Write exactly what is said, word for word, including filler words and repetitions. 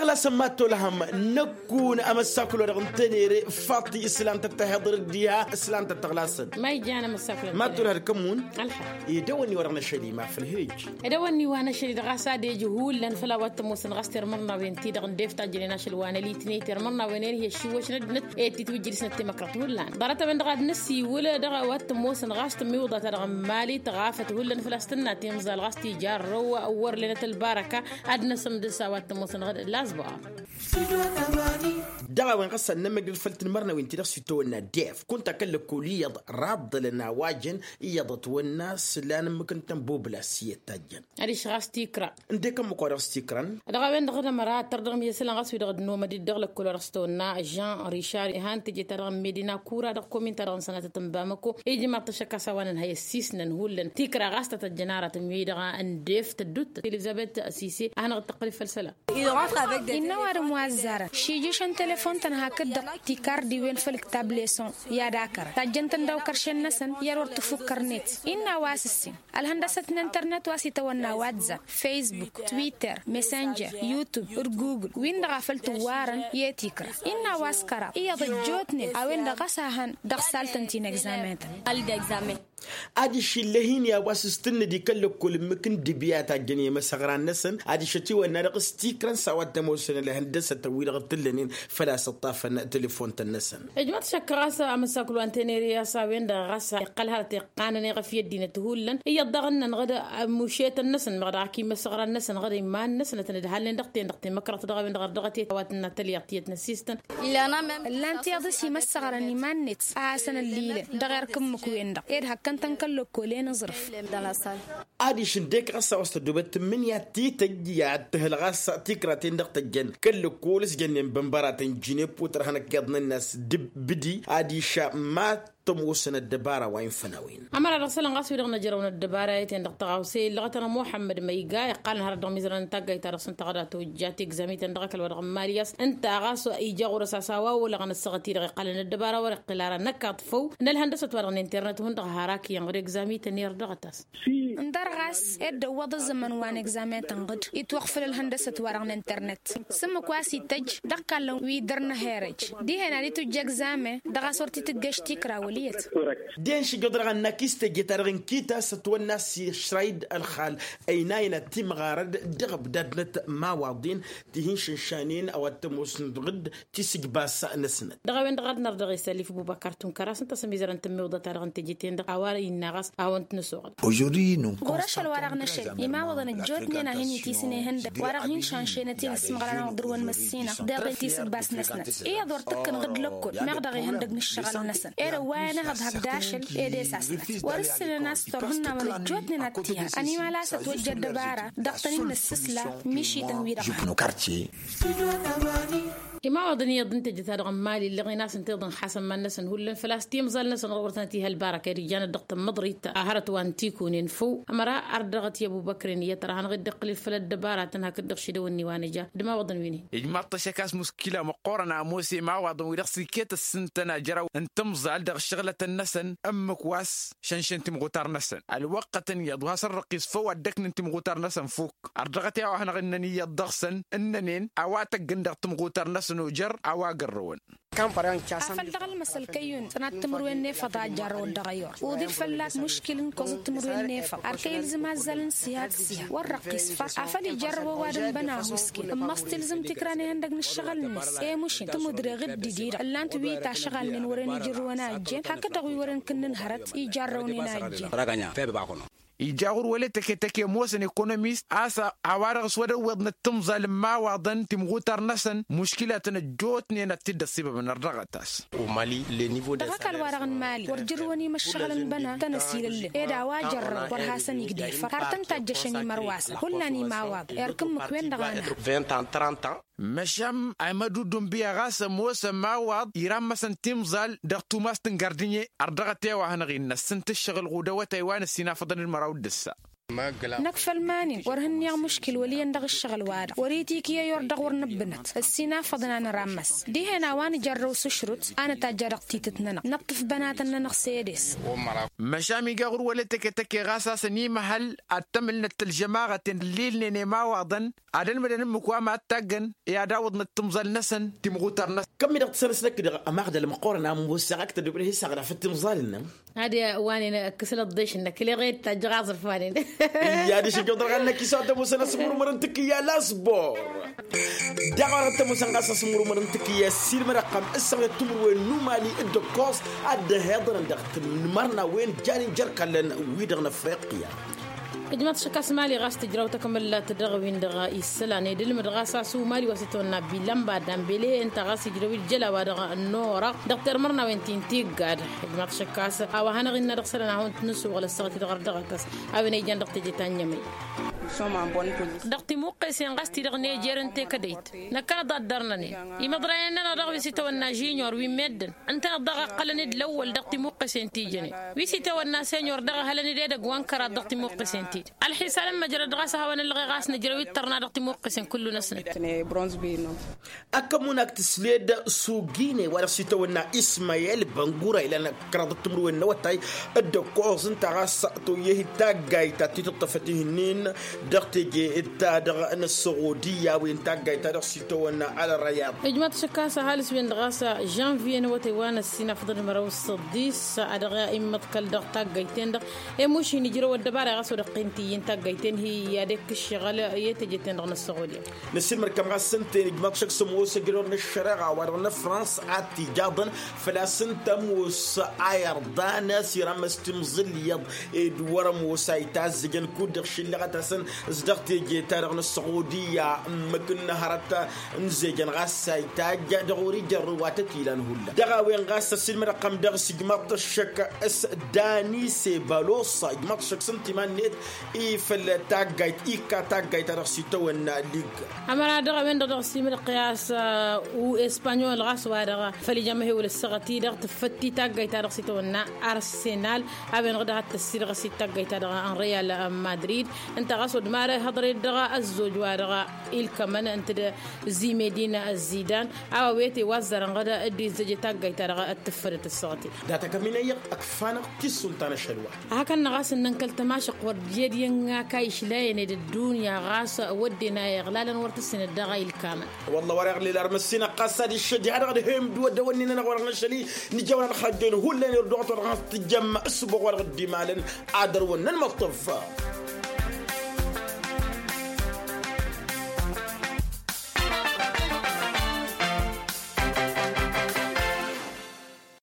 Lasăn ma t-olhăm năkkun amăssakul wa dăɣ-n tenere faṭi s-lan tăt-tăhiḍăr d-iha s-lan tăt-tăɣlasăn. Ma ijjan amăssakul wa dăɣ-n tenere ma t-olhăm d-kămmun. Ălḥa. Edăwănni wa dăɣ-năšăl ima făl hej. Edăwănni wa năšăl-i dăɣ-a-s ad-ej hullan făll-a-wa t-ămoosăn ɣas termărnawen-ti-dăɣ n-def tajjănen ašăl wa n-ălitney termărnawen-en hi-ăššiwwăšnăt-năt. Ed titwǝjjǝd-snăt temăkrăt hullan ḍarăt-a-wen-dăɣ ad-năsiwǝl dăɣ-a-wa t-ămoosăn ɣas tămiwǝḍa-ta-dăɣ n-mali tăɣafăt hullan făl-a-s tǝnna timẓal ɣas tijărrăw. Wăr lenăt ălbarăka ad-năsǝmdǝs a-wa t-ămoosăn ɣǝd lasbăɣa. Dăɣ-a-wen ɣas ad-nămmăgdăd făll-tinmărnawen-ti-dăɣ s-itawănna def kunta kăl-lăkkol iyyăḍ raḍḍălăn a-wa jăn iyyăḍ ătwănna s-lan ǝmmǝk n-tănbobla s-iyyăt ta jăn. Adiš ɣas tikra. Ǝndek ămmǝk wa dăɣ-s tikrăn. Dăɣ-a-wen-dăɣ d-ămăra tărdăɣ mi-isălan ɣas wi-dăɣ dd-nomăd-dd dăɣ-lăkkol wa dăɣ-s tawănna jean richard ihan teje-ta-dăɣ n-medina kura dăɣ-komin-ta-dăɣ n-sănatăt n-bamăko. Ijmaḍ-t ašăk a-s a-wa nǝnhăy ăssiisnăn hullan tikra ɣas ta tăjjăn aratăn wi-dăɣ n-def tăddut elizăbet sise a hanăɣ-dd-tăqqǝl făll-isălan. Innă ăwadǝm wa ăzzarăn šijǝšăn telefon-tăn hakd-dăɣ tikardiwen făll-ǝktab leson i-ad-akărăn tajjăn-tăn daw-kăršen-năsăn i-ad-wăr tǝfuk kărnet. Innă a-wa s-ǝssin ălhăndăsăt n-internet wa s-itawănna whatsapp, facebook, twitter, messenger, youtube d-google win-dăɣ a făl tǝwwarăn i-tikra. Innă a-wa s-kăraḍ iyyăḍ ăjjootnen a-wen-dăɣ ɣas a hăn dăɣ-saltăn ti n-egzamen-tăn. Adiš ill'-e-hin i-a-wa s-tǝnnǝd i-kăl-lăkkol ǝmmǝk n-dibya tajjăn i-imăsăɣran-năsăn adiš ătiwănna dăɣ-s tikrăn s-a-wa t-ămoosăn ălhăndăsătăn-wi-dăɣ t-ǝllănen făl-a-s ǝṭṭafăn telefon-tăn-năsăn. Ijmăḍ šăkk ɣas amǝssaklu wa n-tenere a-s a-wen-dăɣ ɣas iqqăl hărăt iqqanăn i-ɣăf i-ăddinăt hullan iyyăḍ daɣ-ǝnnăn ɣǝd mušetăn-năsăn meɣ dăɣ-ak imăsăɣran-năsăn ɣǝd iman-năsnătăn dd-halnen dăɣ-ten-dăɣ temăkrăḍt dăɣ-a-wen-dăɣ ărdăɣăt i-a-wa tǝnna tălyaḍt iyyăt n-ăssistăn. Ǝllan tiyyăḍ s-imăssăɣran iman-net a hasăn-ăllilăn dăɣ-erk ǝmmǝk-wen-dăɣ ed hăkkăn-tăn kăl-lăkkolen aẓrǝf. Adiš ǝndek ɣas a-wa s-tăddobăt tǝmmǝnǝya tităjj i-ad-tǝhǝl ɣas tikra-ten-dăɣ tăjjăn kăl-lăkkol s-jănnen bănbăratăn jineppo tărha n-ăkkeḍ n-ănnas d-bǝdi adiš ma tămoosăn ăddăbara wa infăn a-wen. Ămăra dăɣ-isălan ɣas wi-dăɣ năjrăwăn ăddăbara i-ten-dăɣ tăɣawse illăɣătăn ămuḥămmăd ma iga iqqalăn hărăt dăɣ-imizărăn n-taggayt-ta-dăɣ s-ǝnta ɣăda tojja tegzam-i-ten dăɣ-ăkall wa dăɣ-n mali a-s ǝnta ɣas ija ɣur-s a-s a-wa olăɣăn ăssaɣăt-i-dăɣ iqqalăn ăddăbara wăr iqqǝl ara năkkaḍ făw n-ălhăndăsăt wa dăɣ-n internet hundăɣ har ak iyyăn ɣur-egzam-i-tăn irr dăɣ-tas. Ǝndăr ɣas ed dăwwăḍ ăzzăman wa n-egzamen-tăn ɣǝd itwăɣfǝl ălhăndăsăt wa dăɣ-n internet. S-ǝmmǝk wa s-ităjj dăɣ-kallăn wi dăr-năherăj dihen ad-itujj egzamen dăɣ-a-s wăr t-itǝggeš tikra wăl' iyyăt. Den šijăḍ dăɣ-annăk istăjje-ta-dăɣ n-kita s-ătwănna s-išrăy-dd ălxal ăynayăn ad-timɣarăd dăɣ-ăbdad-năt imawaḍen ti hin-šănšanen a-wa t-ămoosăn ɣǝd tisǝjbas-năsnăt. Dăɣ-a-wen-dăɣ ad-nărdăɣ isălif bubăkar tunkăr a-s ǝnta a-s ămizărăn tămmiwǝḍăt-ta-dăɣ n-teje-ten-dăɣ a-wa innă ɣas a hawăn-t-nǝsoɣăl. Ɣur-ašăl wa dăɣ-năšăl imawaḍăn ăjjootnen a hin-itisǝnehăn-dăɣ wa dăɣ-hin-šanšenăt i-inǝsmăɣra n-aɣdǝr-wăn măssinăɣ deɣ itisǝbbas-năsnăt iyyăḍ wăr t-ǝkkǝn ɣǝd lăkkol meɣ dăɣ-ihăndăg n-ǝššăɣǝl-năsăn ed ăwwayăn ehăḍ hak d-ašăl ed e-sasnăt wăr-ǝssǝnăn a-s torhǝnnawen ăjjootnen ad-t-iha ănimal a-s ătwăjja ăddăbara dăɣ-tăn-in-nǝssǝsla mišităn-wi-dăɣ. Imawaḍăn iyyăḍ n-teje-ta-dăɣ n-mali ǝlleɣen-asăn tiḍǝn xasăn iman-năsăn hullan făl-a-s timẓal-năsăn ɣur-wăr tănăt-iha ălbarăka ed ijjan-ăt dăɣ-tămmăḍrit a hărăt wa n-tikunen făw. Ămăra ardăɣăt i-ăbubăkren iyyăt ăra hanăɣ-dd-iqqǝlǝl făll-ăddăbaratăn hakd-dăɣ šidăwănni wa nǝja d-imawaḍăn wi n-hin. Ijmaḍ-t ăššăk a-s muškila măqqoorăn a ămoos i-imawaḍăn wi dăɣ-s iket ǝssǝntăn ajrăw n-timẓal dăɣ-ǝššăɣlătăn-năsăn ǝmmǝk wa s-šănšăn timɣutar-năsăn ălwăqqătăn iyyăḍ wa s-ărrăqqis făw ad-dd-ăknǝn timɣutar-năsăn fukk. Ărdăɣăt i-a-wa hanăɣ-ǝnnăn iyyăḍ dăɣ-săn ǝnnănen a-wa tăgg-ǝndăɣ timɣutar-năsăn ojăr a-wa gărrăwăn. Afăl dăɣ-ălmăsăl kăyyun tănat timǝrwen n-efăḍ a jarrăwăt dăɣ-ayur uḍif fălla-k muškil n-koẓăt timǝrwen n-efăḍ ar kăy-ilzǝm azzal n-siha d-siha wăr răqqis făr afăl ijarrăw ăwadǝm băna husken ǝmmăs tilzǝm tikra n-ihăndăg n-ǝššăɣǝl-net. I-mušin tǝmudre ɣǝddǝd-i-dăɣ ǝllan-t wi tašɣalnen wăren ijrǝwăn a ǝjjen hakd-dăɣ wi wăren kǝnnǝn hărăt ijarrăwnen a ǝjjen. Ija ɣur-wăla i-tăke-tăke ămoosăn ekonomist a-s a-wa-dăɣ s-wăr ăwweḍnăt timẓal n-imawaḍăn timɣutar-năsăn muškilatăn ăjjootnen ad-t-dd-ăṣṣibăbăn ărdăɣăt-as. Dăɣ-ăkall-wa-dăɣ n-imali wăr jărrǝwăn imǝššăɣǝlăn băna tăn-ăsilăllăn ed a-wa jărrăw wăr hasăn-igdefăr har tăn-tajjăšăn imărwasăn hullan imawaḍăn erk ǝmmǝk-wen-dăɣ a năha. Măšan a imădudun biya ɣas ămoos ămawaḍ irammăsăn timẓal dăɣ-tumast n-gardǝnye. Ărdăɣăt i-a-wa hanăɣ-innă ǝssǝnt ǝššăɣǝl ɣudăwătay wa n-ǝssin afăḍăn d-măraw d-ǝssa. Năkk făll-iman-in wăr hǝnniɣ muškil wăl' iyyăn dăɣ-ǝššăɣǝl-wa-dăɣ wăr-itikǝy i-or dăɣ-wăr nǝbbǝnăt ăssinafăḍ n-anărammăs dihen a-wa nǝjărrăw s-ašrut a nǝtajja dăɣ-titǝt-nănăɣ nǝṭṭǝf bănatăn-nănăɣ s-edes. Măšan iga ɣur-wăla tăke-tăke ɣas a-s ănimăhăl ad-t-ămǝlnăt ălžămaɣăten ǝllilnen i-imawaḍăn ad-ălmǝdăn ǝmmǝk wa mad-taggăn i-ad-awǝḍnăt timẓal-năsăn timɣutar-năsăn. Kămm-i-dăɣ tǝsănăsnăk-dăɣ ămaɣdăl măqqoorăn a ămoos a ăktăr d-obdăh isaɣ dăɣ-făt timẓal-nănăɣ. Ad-wa-nen ǝkkǝsălăt ḍešnăk leɣ i-d tajjăɣ aẓrǝf-wa-nen. Iyyă ad-išǝjjăw dăɣ-ɣannăk isawăt ămoosăn asǝmmurmăr n-tikǝyya lasbor. Daɣ-wa-dăɣ t-ămoosăn ɣas asǝmmurmăr n-tikǝyya s-ilmăd ăqqam ǝssăɣyăt timǝrwen n-umali d-ǝkkoẓ ad-dd-ăhiḍărăn dăɣ-tǝmmărnawen jan injăr kallăn wi-dăɣ n-afriqya. Ijmaḍ šăkkas mali ɣas tǝjraw takmǝllat dăɣ-win-dăɣ issălan ed ǝlmǝd ɣas asumali wa s-itawănna bilănba dambele ǝnta ɣas ijrăw-dd jăla wa dăɣ-norăɣ dăɣ-termărnawen ti n-tiggad. Ijmaḍ šăkkas a-wa hanăɣ-innă dăɣ-isălan ad-hawăn-t-nǝssuɣǝl ăssăɣăt-i dăɣ-ărdăɣăt a-s a-wen ijăn dăɣ-teje ta n-inyămăy. Dăɣ-timuqqesen ɣas ti-dăɣ n-ejer n-tekădăyt năkkănăḍ ad-dărnănen imăḍrayen-nănăɣ dăɣ-wi s-itawănna žinyor wi n-meddǝn ǝntăneḍ daɣ ǝqqălăn-dd lăwwăl dăɣ-timuqqesen ti jănen wi s-itawănna senyor dăɣ-ehălăn-dd edăgg wa n-kăraḍ dăɣ-timuqqesen-ti-dăɣ. Ălḥisalăn măjrăd ɣas ad-hawăn-ăllăɣe ɣas nǝjrăw-dd tărna dăɣ-timuqqesen kullu-năsnăt. Ăkk ămmunag tǝsled s-ugine wa dăɣ-s itawănna ismayel băngura ilan kăraḍăt timǝrwen n-awătay. D-ăkkoẓ ǝnta ɣas toyyăh-dd taggayt ta t-tǝṭṭăfăt ihǝnnin dăɣ-teje ta-dăɣ n-ăssoɣodiya wen taggayt ta dăɣ-s itawănna alrayaḍ. Ijmaḍ šăkkas ăhalǝs-wen-dăɣ ɣas žănviye n-awătay wa n-ăssinafăḍăn măraw s-săḍis a dăɣ-immăḍkăl dăɣ-taggayt-ten-dăɣ. Emuš hin-ijrăw ăddăbara ɣas wa dăɣ-qintǝyy n-taggayt-ten hi-i ad-ekk ǝššăɣǝl i-teje-ten-dăɣ n-ăssoɣodiya. Nǝssilmăd-kăm ɣas ǝnta-en ijmaḍ šăkk s-ămoos ăjrăwăr n-ăššăreɣa wa dăɣ-năfrăns ad-t-ijaḍăn făl-a-s ǝnta ămoos ayărḍan a-s iramăs timẓǝl iyyăḍ ed wăr-ămoos a itazzăjăn kud-dăɣ šillăɣăt-asăn s-dăɣ teje-ta-dăɣ n-ăssoɣodiya ǝmmǝk n-hărăt n-zejăn ɣas a itajj dăɣ-wăr-ijărrǝw wa tăt-ilan hullan dăɣ-a-wen ɣas ăssiilmăd-ăqqam dăɣ-s ijmaḍ-t ăššăk s-dani sebalosa ijmaḍ-t ăššăk s-ǝnta iman-net i făl taggayt ikka taggayt ta dăɣ-s itawănna lig. Ămăra dăɣ-a-wen-dăɣ dăɣ-s imǝdăɣ i-a-s u-espanyol ɣas wa-dăɣ făl ija amăhewăl ăssaɣăt-i-dăɣ tǝffăt-i taggayt ta dăɣ-s itawănna arsenal. A-wen-dăɣ dăɣ-ad-tăssidăɣ s-i taggayt ta dăɣ-n real madrid. Ǝnta ɣas wăr dd-marăy hăḍăr-ed dăɣ-ăzzoj wa-dăɣ ilkămăn ǝnta d-zimedin zidan. A-wa wete wa ăzzarăn ɣǝd dd-izzăj i-taggayt ta dăɣ-tǝffădăt ăssaɣăt-i. Data kăminăyăɣ ăkfanăɣ tissun ta n-ašăl wa. Hakăn-năɣ a-s ǝnnăn kăl-tămašăɣt wăr dd-iyyăd iyyăn n-akay išlayăn ed ăddunya ɣas wădden a iɣlalăn wăr tǝssin dd-dăɣ ilkamăn. Wălla wăr-iɣlil ar măssinăɣ ɣas ad-iššăj ha-dăɣ d-hemd wădden wănnin-nănăɣ wăr-ănɣăšăl-i nǝjăwăn ălxăjjăyăn hullan irduɣăt wăr-dăɣ tǝjjăm ǝssǝboɣ wa dăɣ-dd-imalăn ad-ărwăn n-ănmăṭṭăf.